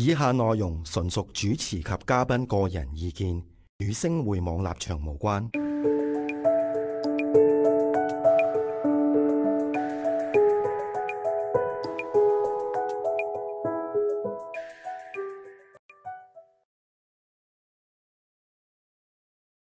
以下內容純屬主持及嘉賓個人意見，與星匯網立場無關。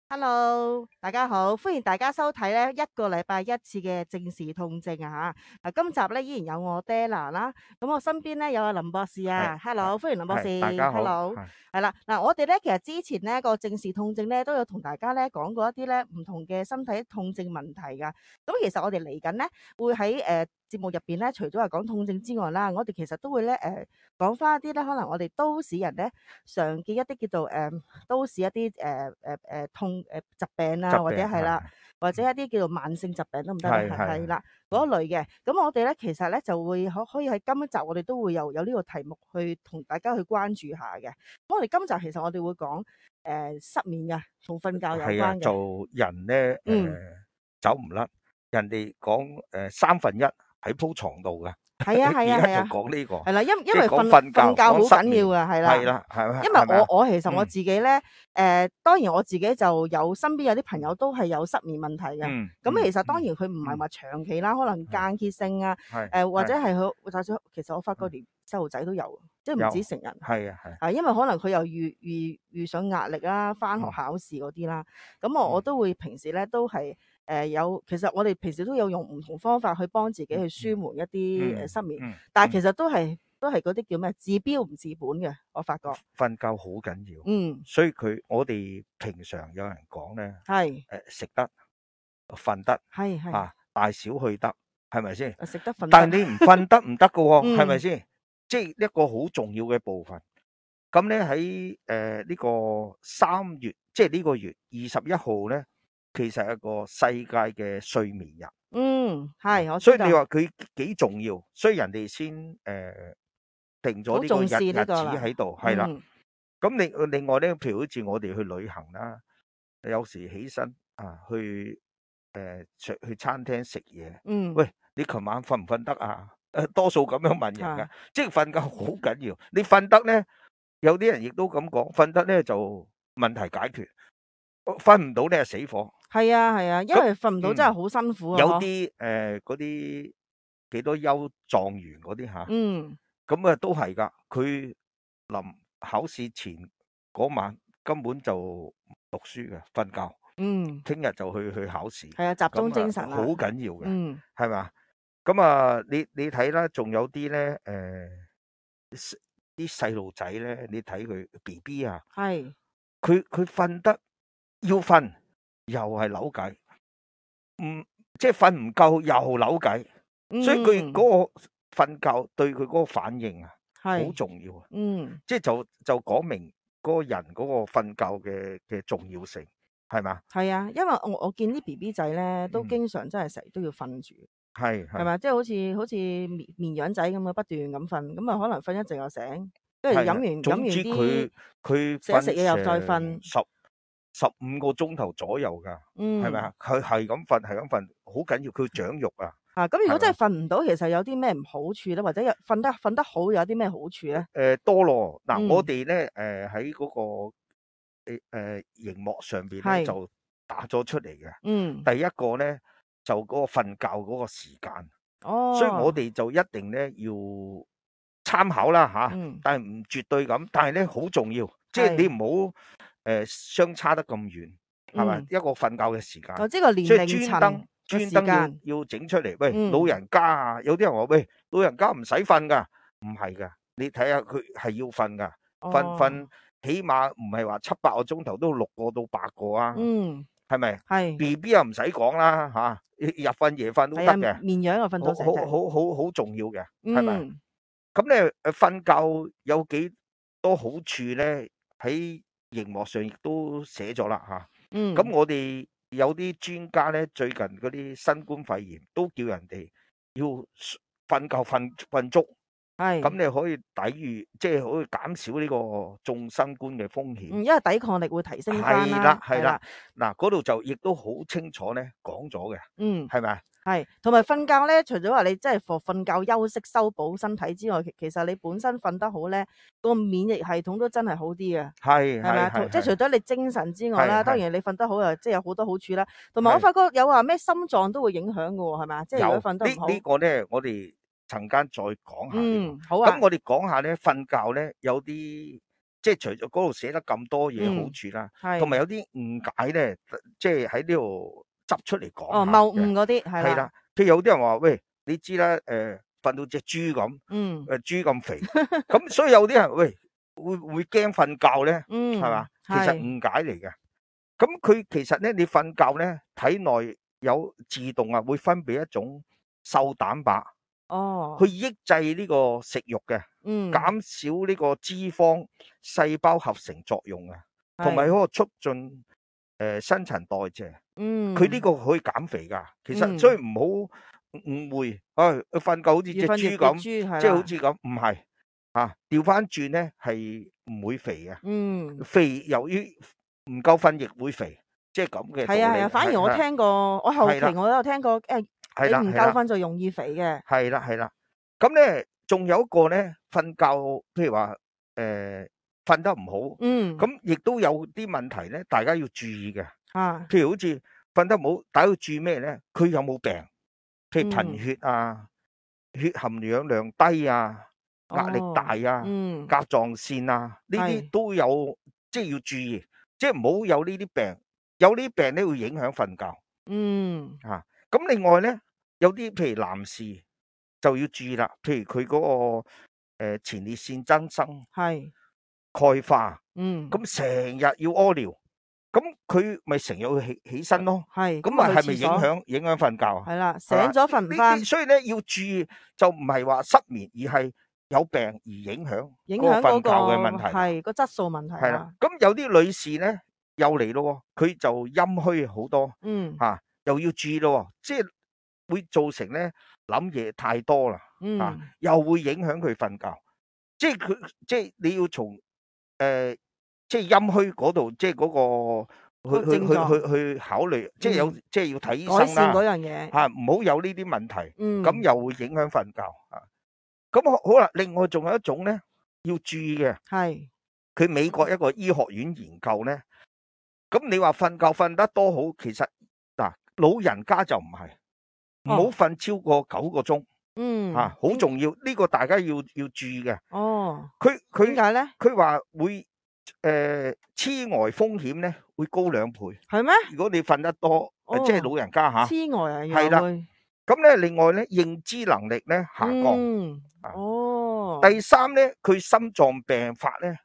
Hello，大家好，歡迎大家收睇咧一個禮拜一次嘅正視痛症啊吓。今集咧依然有我 Della 啦，咁我身邊咧有阿林博士啊。Hello，歡迎林博士。大家好。 Hello，係啦，嗱，我哋咧其實之前咧個正視痛症咧都有同大家咧講過一啲咧唔同嘅身體痛症問題噶。咁其實我哋嚟緊咧會喺節目入邊咧，除咗係講痛症之外啦，我哋其實都會咧講翻一啲咧可能我哋都市人咧常見一啲叫做都市一啲疾病啊，或者係啦，或者一啲叫做慢性疾病都唔得啦，係啦嗰類嘅。咁我哋咧其實咧就會可以喺今一集我哋都會有呢個題目去同大家去關注下嘅。咁我哋今集其實我哋會講失眠嘅，同瞓覺有關嘅。做人咧走唔甩，人哋講1/3喺鋪床度噶。係啊，而家就講呢個係啦，因為瞓覺好緊要啊，係啦，係咪？因為我其實我自己咧當然我自己就有身邊有啲朋友都係有失眠問題嘅。咁其實當然佢唔係話長期啦，可能間歇性啊，或者係佢其實我發覺連細路仔都有，即係唔止成人。係因為可能佢又遇上壓力啦，翻學考試嗰啲啦。咁我都會平時咧都係其實我哋平時都有用唔同方法去幫自己去舒緩一啲失眠，但係其實都係嗰啲叫咩治標唔治本嘅，我發覺。瞓覺好緊要，所以我哋平常有人講咧，食得瞓得，大小去得，係咪先？食得瞓得，但係你唔瞓得唔得噶喎，係咪先？即係一個好重要嘅部分。咁咧喺呢個3月，即係呢個月21號咧，其實係一個世界嘅睡眠日。係，所以你話佢幾重要，所以人哋先定咗呢個日子喺度，係啦。咁另外咧，譬如好似我哋去旅行啦，有時起身去餐廳食嘢，喂，你琴晚瞓唔瞓得啊？多數咁樣問人噶，即係瞓覺好緊要。你瞓得咧，有啲人亦都咁講，瞓得咧就問題解決，瞓唔到咧死火。係啊，因為瞓唔到真係好辛苦啊。有啲嗰啲幾多優狀元嗰啲吓，咁啊都係噶，佢臨考試前嗰晚根本就唔讀書嘅，瞓覺。聽日就去考試。係啊，集中精神好緊要嘅，係嘛？咁啊，你睇啦，仲有啲咧啲細路仔咧，你睇佢 BB 啊，佢瞓得要瞓，又係扭計。即係瞓唔夠又扭計，所以佢嗰個瞓覺對佢嗰個反應啊，好重要啊。即係就講明嗰個人嗰個瞓覺嘅重要性，係嘛？係啊，因為我見啲 BB 仔咧都經常真係成日都要瞓住，係咪？即係好似綿羊仔咁樣不斷咁瞓，咁啊可能瞓一陣又醒，跟住飲完啲佢食嘢又再瞓。15個鐘頭左右噶，係咪啊？佢係咁瞓，好緊要，佢長肉啊。咁如果真係瞓唔到，其實有啲咩唔好處咧？或者瞓得好有啲咩好處咧？多咯。嗱，我哋咧喺嗰個熒幕上邊咧就打咗出嚟嘅。第一個咧就嗰個瞓覺嗰個時間。所以我哋就一定咧要參考啦吓，但係唔絕對咁，但係咧好重要，即係你唔好相差得咁遠，係咪？一個瞓覺嘅時間，即係個年齡層專登要整出嚟。喂，老人家啊，有啲人話喂，老人家唔使瞓噶，唔係噶，你睇下佢係要瞓噶，瞓起碼唔係話7、8個鐘頭，都6個到8個啊，係咪？係 BB 又唔使講啦吓，日瞓夜瞓都得嘅，綿羊又瞓到成隻，好重要嘅，係咪？咁咧瞓覺有幾多好處咧？喺熒幕上亦都寫咗啦吓。咁我哋有啲專家咧，最近嗰啲新冠肺炎都叫人哋要瞓覺瞓足，咁你可以抵禦，即係可以減少呢個中新冠嘅風險。因為抵抗力會提升翻啦。係啦，嗱嗰度就亦都好清楚咧講咗嘅，係咪啊？係，同埋瞓覺咧，除咗話你真係瞓覺休息修補身體之外，其實你本身瞓得好咧，個免疫系統都真係好啲嘅，係係咪啊？即係除咗你精神之外啦，當然你瞓得好又即係有好多好處啦。同埋我發覺有話咩心臟都會影響嘅喎，係咪啊？即係如果瞓得唔好。呢個咧，我哋陣間再講下呢個。好啊。咁我哋講下咧，瞓覺咧有啲即係除咗嗰度寫得咁多嘢好處啦，同埋有啲誤解咧，即係喺呢度執出嚟講下嘅。謬誤嗰啲係啦。譬如有啲人話喂，你知啦，瞓到隻豬咁，豬咁肥，咁所以有啲人喂會驚瞓覺咧，係嘛？其實誤解嚟嘅。咁佢其實咧，你瞓覺咧，體內有自動啊會分泌一種瘦蛋白，去抑制呢個食慾嘅，減少呢個脂肪細胞合成作用啊，同埋嗰個促進新陳代謝。佢呢個可以減肥㗎。其實所以唔好誤會，瞓覺好似隻豬咁，即係好似咁，唔係啊。調翻轉咧係唔會肥嘅。肥由於唔夠瞓亦會肥，即係咁嘅道理。係啊，反而我聽過，我後期我都有聽過，你唔夠瞓就容易肥嘅。係啦。咁咧仲有一個咧，瞓覺譬如話瞓得唔好，咁亦都有啲問題咧，大家要注意嘅。譬如好似瞓得唔好，大家要注意咩咧？佢有冇病？譬如貧血啊、血含氧量低啊、壓力大啊、甲狀腺啊，呢啲都有，即係要注意，即係唔好有呢啲病。有呢啲病咧會影響瞓覺。咁另外咧，有啲譬如男士就要注意啦。譬如佢嗰個前列腺增生、鈣化，咁成日要屙尿，咁佢咪成日要起身咯。咁啊係咪影響瞓覺啊？係啦，醒咗瞓唔翻。所以咧要注意，就唔係話失眠，而係有病而影響嗰個瞓覺嘅問題。係個質素問題。係啦，咁有啲女士咧又嚟咯，佢就陰虛好多。又要注意咯，即係會造成咧諗嘢太多啦。又會影響佢瞓覺。即係你要從即係陰虛嗰度，即係嗰個去考慮，即係即係要睇醫生啦。改善嗰樣嘢。唔好有呢啲問題。咁又會影響瞓覺。咁好啦，另外仲有一種咧要注意嘅，佢美國一個醫學院研究咧。咁你話瞓覺瞓得多好，其實嗱老人家就唔係，唔好瞓超過9個鐘。好重要，呢個大家要注意嘅。佢點解咧？佢話會痴呆風險咧會高2倍。係咩？如果你瞓得多，即係老人家嚇。痴呆啊，係啦。咁咧另外咧認知能力咧下降。第三咧佢心臟病發咧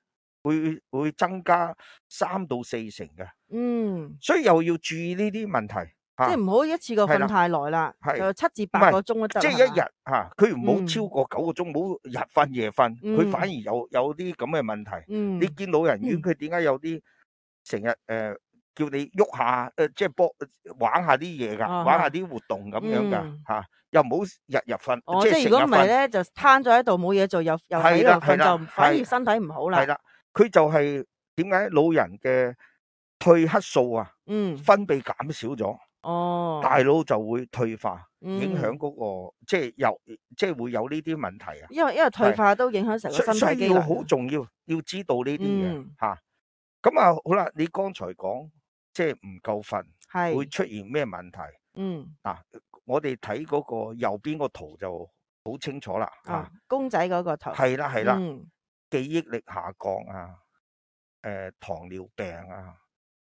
會增加3到4成嘅。所以又要注意呢啲問題。即係唔好一次過瞓太耐啦，就7至8個鐘都得。即係一日佢唔好超過9個鐘，唔好日瞓夜瞓，佢反而有啲咁嘅問題。你見老人院佢點解有啲成日叫你喐下即係玩下啲嘢㗎，玩下啲活動咁樣㗎。又唔好日日瞓。即係如果唔係咧，就攤咗喺度冇嘢做，又喺度瞓，就反而身體唔好啦。係啦，佢就係點解老人嘅褪黑素分泌減少咗。大腦就會退化，影響嗰個即係會有呢啲問題啊。因為退化都影響成個身體機能。所以要好重要，要知道呢啲嘢嚇。咁好啦，你剛才講即係唔夠瞓，會出現咩問題？我哋睇嗰個右邊個圖就好清楚啦。公仔嗰個圖。係啦。記憶力下降啊，糖尿病啊，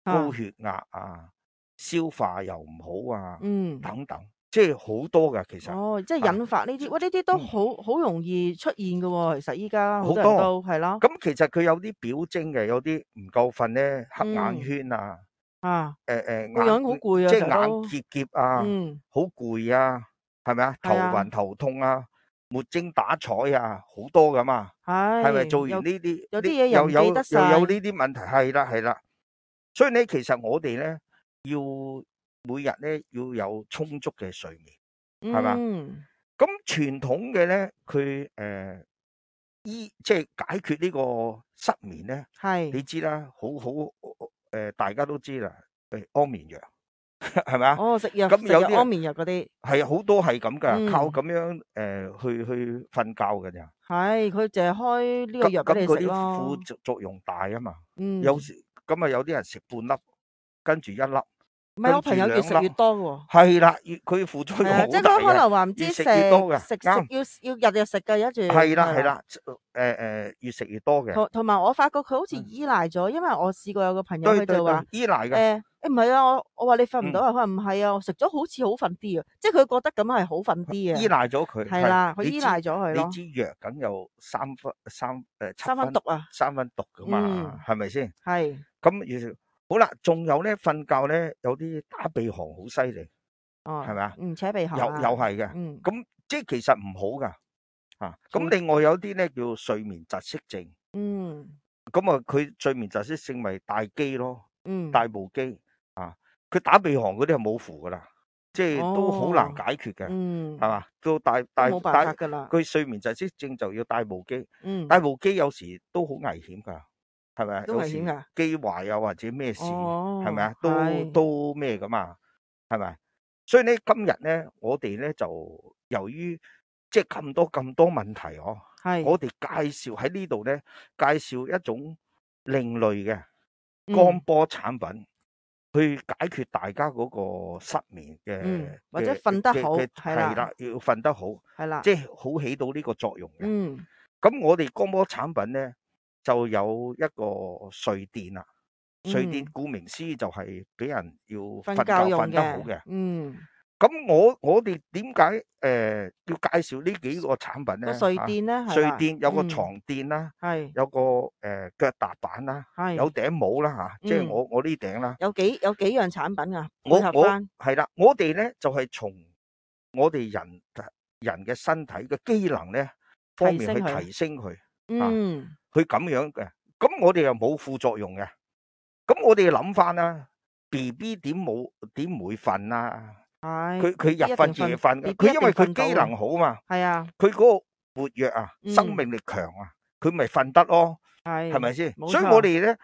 高血壓啊。消化又唔好啊，等等，即係好多噶，其實。即係引發呢啲，呢啲都好容易出現嘅喎。其實依家好多人都係咯。咁其實佢有啲表徵嘅，有啲唔夠瞓咧，黑眼圈啊，個樣好攰啊，即係眼澀澀啊，好攰啊，係咪啊？頭暈頭痛啊，沒精打采啊，好多噶嘛。係咪做完呢啲？有啲嘢又唔記得晒。又有呢啲問題，係啦。所以咧，其實我哋咧。要每日咧要有充足嘅睡眠，係嘛？咁傳統嘅咧，佢即係解決呢個失眠咧，你知啦，大家都知啦，安眠藥係咪啊？哦，食藥咁有啲安眠藥嗰啲係好多係咁㗎，靠嗯，咁樣去瞓覺㗎咋。係佢淨係開呢個咁藥俾你食咁嗰啲副咯。作用大啊嘛。有嗯，時咁啊，有啲人食半粒，跟住一粒，唔係跟我朋友越住兩粒，食越多嘅喎。係啦，佢副作用係啊，即係佢可好大嘅，能話唔知越食食越多嘅，食啱。要日日食嘅，一住係啦係啦。係啦，越食越多嘅。同埋我發覺佢好似嗯，依賴咗，因為我試過有個朋友對對對，佢就話依賴嘅。唔係啊，我話你瞓唔到嗯，啊，佢話唔係啊，我食咗好似好瞓啲啊，即係佢覺得咁係好瞓啲依啊。賴咗佢，係係啦，佢你知依賴咗佢咯，你知藥梗有七三分毒分啊。三分毒噶嘛，嗯，係咪先？係咁好啦，仲有咧瞓覺咧，有啲打鼻鼾好犀利，哦，係咪啊？扯鼻鼾又啊。係嘅，嗯，咁即係其實唔好噶嚇。咁從另外有啲咧叫睡眠窒息症，嗯咁啊佢睡眠窒息症咪大機咯，嗯大部機啊，佢打鼻鼾嗰啲係冇符噶啦，即係都好難哦解決嘅，嗯係嘛？到大大都冇辦大法㗎啦。佢睡眠窒息症就要戴部機，嗯，戴部機有時都好危險㗎，係咪啊？都有時危險㗎。機壞啊或者咩事，係咪哦，啊？都係都咩㗎嘛，係咪？所以咧今日咧我哋咧就由於即係咁多問題係我哋介紹喺呢度咧介紹一種另類嘅光嗯波產品。去解決大家嗰個失眠或者瞓得好係啦係啦，要瞓得好，係啦。即係好起到呢個作用嘅。嗯咁我哋光波產品咧就有一個睡墊啦，睡墊嗯，顧名思義就係俾人要瞓瞓覺覺用瞓得好嘅。嘅。嗯，咁我哋點解要介紹呢幾個產品個咧嚇？睡墊咧係啦。睡墊有個嗯，床墊啦，係有個腳踏板啦，有係頂帽啦嚇，即係嗯，我呢頂啦。有幾樣產品啊，配合我翻。係啦，我哋咧就係從我哋人嘅身體嘅機能咧方面去提升佢。提升佢啊，嗯，佢咁樣嘅。咁我哋又冇副作用嘅。咁我哋諗翻啦，BB 點唔會瞓啊？係佢 BB 日瞓一定瞓夜瞓嘅， ，BB 一定佢因為佢瞓到啊。機能好嘛，係啊。佢嗰個活躍啊，生嗯，命力強啊，佢咪瞓得咯，係咪係先？所以冇錯。我哋咧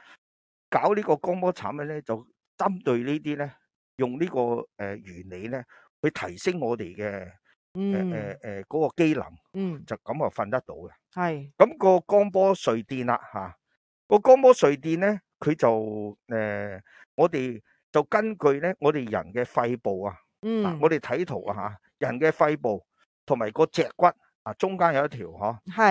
搞呢個光波產品咧，就針對呢啲咧，用呢個原理咧，去提升我哋嘅嗯嗰個機能，嗯，就咁啊瞓得到嘅。係咁個光波睡墊啦嚇，個光波睡墊咧，佢就我哋就根據咧我哋人嘅肺部啊，嗱我嗯哋睇圖啊嚇，人嘅肺部同埋個脊骨啊，中間有一條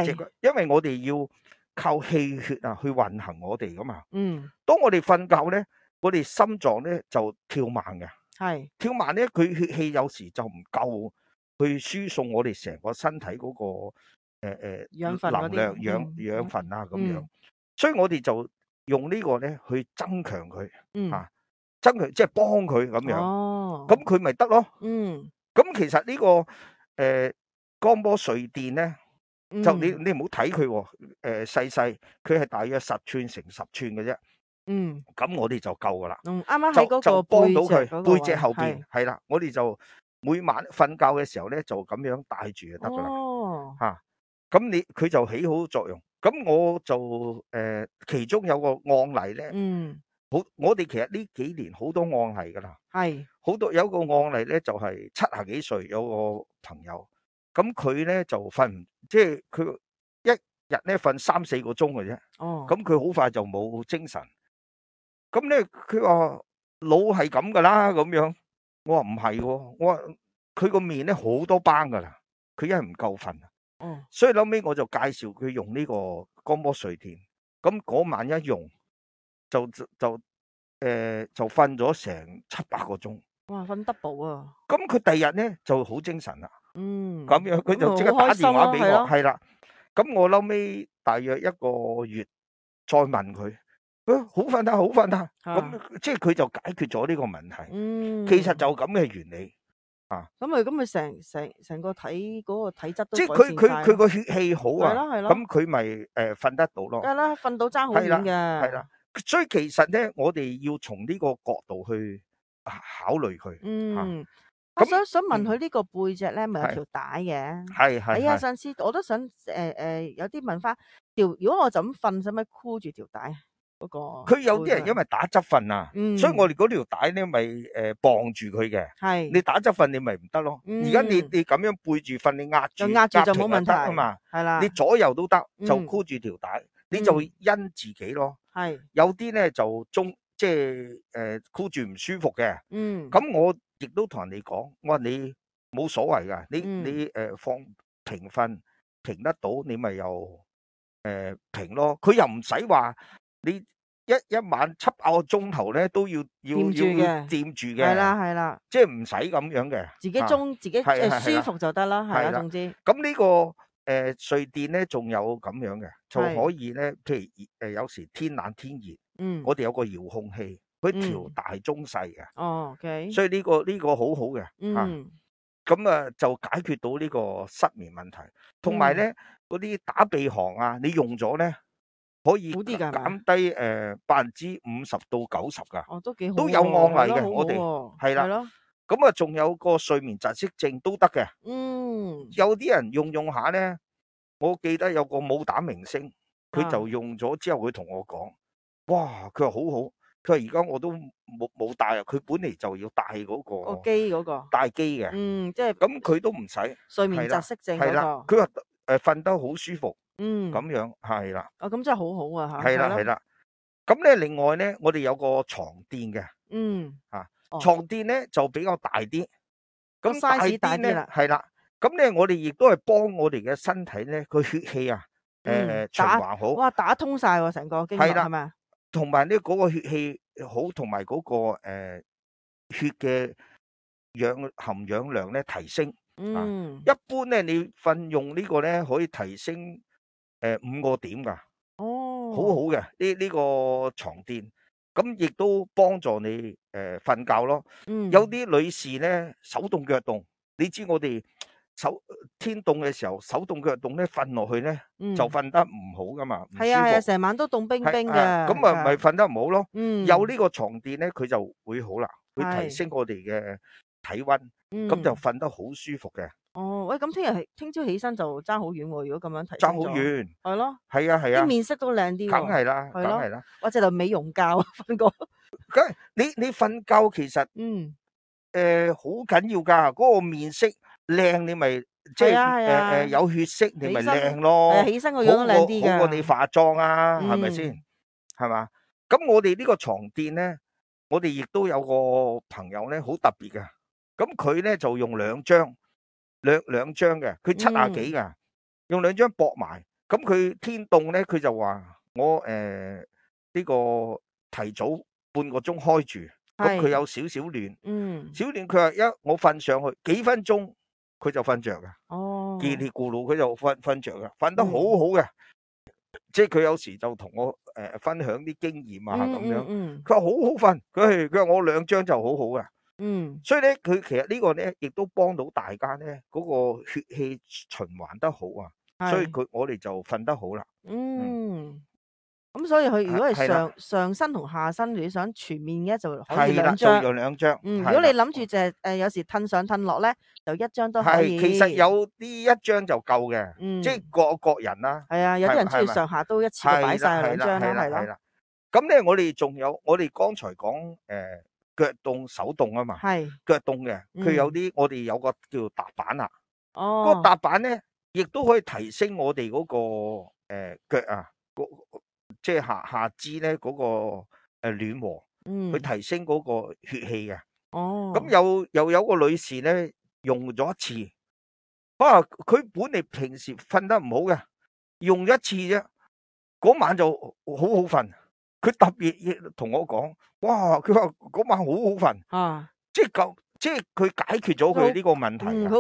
脊骨，係因為我哋要靠氣血啊去運行我哋噶嘛。嗯當我哋瞓覺咧，我哋心臟咧就跳慢嘅，係跳慢咧佢血氣有時就唔夠去輸送我哋成個身體嗰個養分嗰能量啲。養分啊咁樣，嗯所以我哋就用呢個咧去增強佢嗯嚇，增強即係幫佢咁樣，哦咁佢咪得咯。嗯咁其實呢個光波睡墊咧，就你嗯唔好睇佢喎，細細，佢係大約10寸乘10寸嘅啫。嗯咁我哋就夠噶啦，啱啱喺嗰個就幫到背脊佢嗰個位背脊後邊係係啦，我哋就每晚瞓覺嘅時候咧就咁樣戴住就得噶啦哦嚇。咁佢就起好作用。咁我就其中有個案例咧，嗯我哋其實呢幾年好多案例噶啦，係有個案例咧就係70幾歲有個朋友，咁佢咧就即係佢一日咧瞓3-4個鐘嘅啫，哦咁佢好快就冇精神。咁咧，佢話老係咁噶啦，咁樣。我話唔係喎，我話佢個面咧好多斑噶啦，佢因為唔夠瞓，哦所以後尾我就介紹佢用呢個光波睡墊。咁嗰晚一用就瞓咗成7-8個鐘。哇瞓 double 啊。咁佢第二日咧就好精神啦，嗯咁樣佢就即刻咁咪好打開心咯，電話俾我，係咯。係啦。咁我後尾大約1個月再問佢，好瞓得，好瞓得。啊咁即係佢就解決咗呢個問題。嗯其實就咁嘅原理啊，咁成個嗰個體質都即係改善晒咯。佢個血氣好啊，係咯係咯咁佢咪瞓得到咯。梗係啦，瞓到爭好係啦遠嘅。係啦，所以其實咧，我哋要從呢個角度去考慮佢嚇。嗯，我咁想問佢呢個背脊咧，咪有係條帶嘅？係係係啊，係。上次我都想有啲問翻條，如果我就咁瞓，使唔使箍住條帶？嗰個。佢有啲人因為打側瞓啊，所以我哋嗰條帶咧咪綁住佢嘅。係。你打側瞓你咪唔得咯。而家你咁樣背住瞓，你壓住就冇問題得啊嘛。係啦。你左右都得，就箍住條帶，你就因自己咯。係。有啲咧就即係箍住唔舒服嘅。咁我亦都同人哋講，我話你冇所謂㗎，你放平瞓平得到，你咪又平咯。佢又唔使話你一晚7、8個鐘頭咧都要掂住嘅。係啦，即係唔使咁樣嘅。自己舒服就得啦，係啦，總之。咁呢個睡墊咧，仲有咁樣嘅，就可以咧，譬如有時天冷天熱，我哋有個遙控器，佢調大中細嘅。OK。所以呢個好好嘅。咁就解決到呢個失眠問題，同埋咧嗰啲打鼻鼾啊，你用咗咧可以減低50%到90%㗎。哦，都幾好。都有案例嘅，我哋係啦。咁仲有個睡眠窒息症都得嘅。有啲人用下咧，我記得有個武打明星，佢就用咗之後，佢同我講，哇，佢話好好，佢話而家我都冇戴啊。佢本嚟就要戴嗰個機嗰個戴機嘅。即係咁佢都唔使睡眠窒息症嗰個。佢話瞓得好舒服。咁樣係啦。咁真係好好啊嚇。係啦。咁咧另外咧，我哋有個床墊嘅。床墊咧就比較大啲。咁 size 大啲啦。係啦。咁咧我哋亦都係幫我哋嘅身體咧個血氣啊，循環好。哇！打通晒喎，成個經絡係咪啊？同埋咧嗰個血氣好，同埋嗰個血嘅含氧量咧提升。一般咧你用呢個咧可以提升5個點㗎。好好嘅呢個床墊。咁亦都幫助你瞓覺咯。有啲女士咧手凍腳凍，你知我哋天凍嘅時候手凍腳凍咧，瞓落去咧就瞓得唔好噶嘛，唔舒服。係啊，成晚都凍冰冰嘅。咁咪瞓得唔好咯。有呢個床墊咧，佢就會好啦，會提升我哋嘅體溫，咁就瞓得好舒服嘅。喂，咁聽朝起身就爭好遠喎。如果咁樣提爭好遠。係咯。係啊。啲面色都靚啲。梗係啦，梗係啦。或者就美容覺瞓過。梗係你瞓覺其實好緊要㗎。嗰個面色靚，你咪即係有血色，你咪靚咯。起身個樣都靚啲㗎。好過你化妝啊，係咪先？係嘛？咁我哋呢個床墊咧，我哋亦都有個朋友咧，好特別嘅。咁佢咧就用兩張嘅，佢70幾㗎，用2張駁埋。咁佢天凍咧，佢就話我呢個提早半個鐘開住，咁佢有少少暖。少暖，佢話我瞓上去幾分鐘，佢就瞓着㗎。嘰里咕嚕佢就瞓着㗎，瞓得好好嘅。即係佢有時就同我分享啲經驗啊咁樣。佢話好好瞓，佢話我2張就好好嘅。所以咧，佢其實呢個咧，亦都幫到大家咧，嗰個血氣循環得好啊。所以我哋就瞓得好啦。咁所以佢如果係上身同下身，你想全面嘅就可以2張。就用2張。如果你諗住就係有時褪上褪落咧，就1張都可以。其實有啲1張就夠嘅。即係各人啦。係啊，有啲人中意上下都一次過擺晒2張啦，係啦。咁咧，我哋剛才講腳凍手凍啊嘛。腳凍嘅，佢有啲我哋有個叫踏板啊。嗰個踏板咧，亦都可以提升我哋嗰個腳啊，即係下肢咧嗰個暖和，去提升嗰個血氣嘅。咁又有個女士咧用咗1次，佢本嚟平時瞓得唔好嘅，用咗1次啫，嗰晚就好好瞓。佢特別同我講，哇！佢話嗰晚好好瞓。即係佢解決咗佢呢個問題。佢好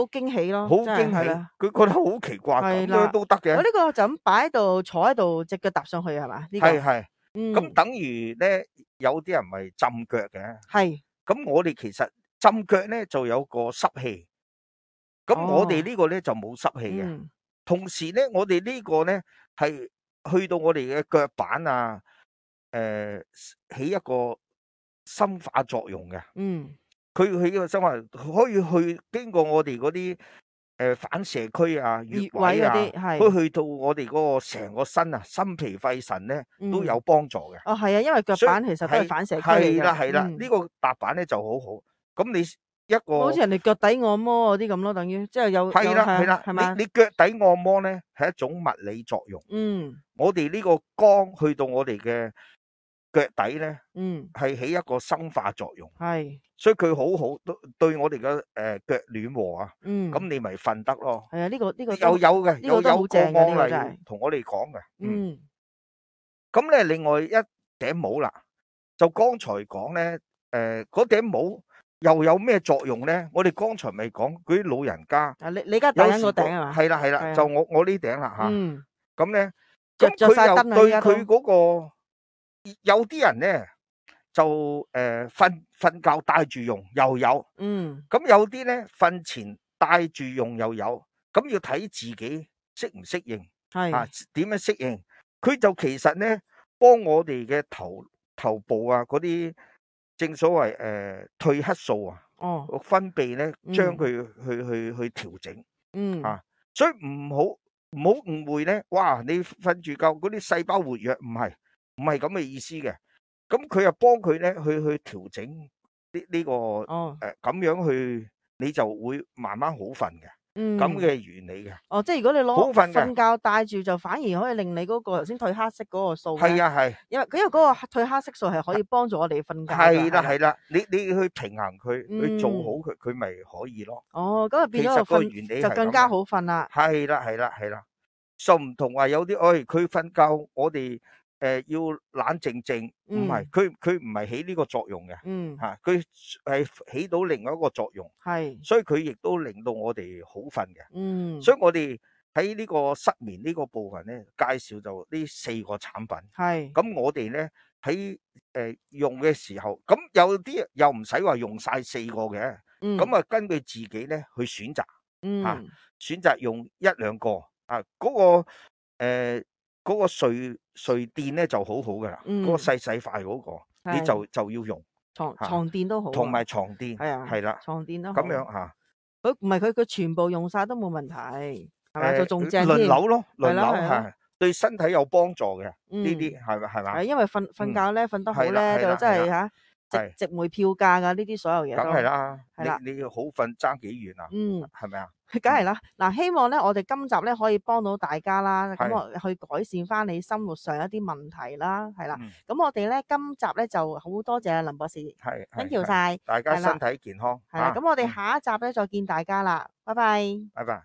驚喜咯。好驚喜。佢覺得好奇怪，咁樣都得嘅。我呢個就咁擺喺度，坐喺度，隻腳踏上去係嘛？係。咁等於咧，有啲人咪浸腳嘅。咁我哋其實浸腳咧就有個濕氣。咁我哋呢個咧就冇濕氣嘅。同時咧，我哋呢個咧係去到我哋嘅腳板啊，起一個深化作用嘅。佢起個深化可以去經過我哋嗰啲反射區啊、穴穴位啊，位嗰啲係都去到我哋嗰個成個身啊、心脾肺腎咧都有幫助嘅。哦，係啊，因為腳所以板其實都係反射區嚟嘅。係啦係啦，呢個踏板咧就好好。咁你一個好似人哋腳底按摩嗰啲咁咯，等於即係有係啦係啦，係嘛？你腳底按摩咧係一種物理作用。我哋呢個光去到我哋嘅腳底咧，係起一個生化作用。係，所以佢好好對我哋嘅腳暖和啊。咁你咪瞓得咯。係啊，呢個有嘅，有個案例同我哋講嘅。咁咧，另外一頂帽啦，就剛才講咧，嗰頂帽又有咩作用咧？我哋剛才咪講嗰啲老人家，你而家戴緊個頂係嘛？係啦係啦，就我呢頂啦嚇。咁咧，着晒燈啊！對佢嗰個有啲人咧就瞓覺戴住用又有。咁有啲咧瞓前戴住用又有。咁要睇自己適唔適應，點樣適應？佢就其實咧幫我哋嘅頭部啊嗰啲正所謂褪黑素啊，分泌咧將佢去調整。所以唔好誤會咧，哇！你瞓住覺嗰啲細胞活躍，唔係咁嘅意思嘅。咁佢又幫佢咧去調整呢個咁樣去，你就會慢慢好瞓嘅。咁嘅原理嘅。即係如果你好瞓瞓覺戴住，就反而可以令你嗰個頭先褪黑色嗰個素咧。係啊係。因為嗰個褪黑色素係可以幫助我哋瞓覺㗎。係啦係啦，你去平衡佢，去做好佢，佢咪可以咯。咁就變咗個原理就更加好瞓啦。係啦係啦係啦，就唔同話有啲，佢瞓覺，我哋要冷靜靜，唔係，佢唔係起呢個作用嘅。佢係起到另外一個作用。所以佢亦都令到我哋好瞓嘅。所以我哋喺呢個失眠呢個部分咧，介紹就呢4個產品。咁我哋咧喺用嘅時候，咁有啲又唔使話用晒4個嘅。咁啊根據自己咧去選擇。選擇用1、2個啊，嗰個睡墊咧就好好噶啦。嗰個細塊嗰個，你就要用床墊都好，同埋床墊係啦，床墊都好咁樣嚇。佢唔係佢全部用晒都冇問題，係咪就仲正輪添？流咯，輪流係對身體有幫助嘅呢啲係嘛？因為瞓覺咧瞓得好咧，就真係嚇值回票價噶呢啲所有嘢都。梗係啦，你要好瞓爭幾遠啊？係咪啊？梗係啦，嗱，希望咧我哋今集咧可以幫到大家啦，咁我去改善翻你生活上一啲問題啦，係啦。咁我哋咧今集咧就好多謝林博士，thank you晒，大家身體健康。係啦，咁我哋下一集咧再見大家啦，拜拜。拜拜。